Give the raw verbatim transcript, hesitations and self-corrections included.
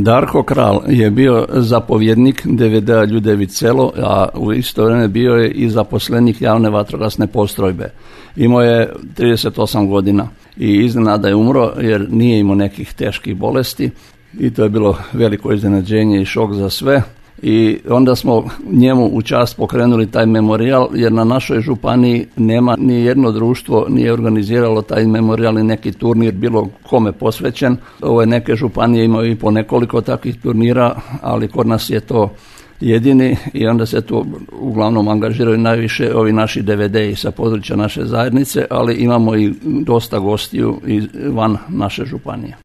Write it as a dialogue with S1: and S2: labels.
S1: Darko Kral je bio zapovjednik D V D-a Ljudević selo, a u isto vrijeme bio je i zaposlenik javne vatrogasne postrojbe. Imao je trideset osam godina i iznenada je umro jer nije imao nekih teških bolesti i to je bilo veliko iznenađenje i šok za sve. I onda smo njemu u čast pokrenuli taj memorijal, jer na našoj županiji nema ni jedno društvo nije organiziralo taj memorijal i neki turnir bilo kome posvećen. Ove neke županije imaju i po nekoliko takvih turnira, ali kod nas je to jedini i onda se tu uglavnom angažiraju najviše ovi naši D V D-i sa područja naše zajednice, ali imamo i dosta gostiju van naše županije.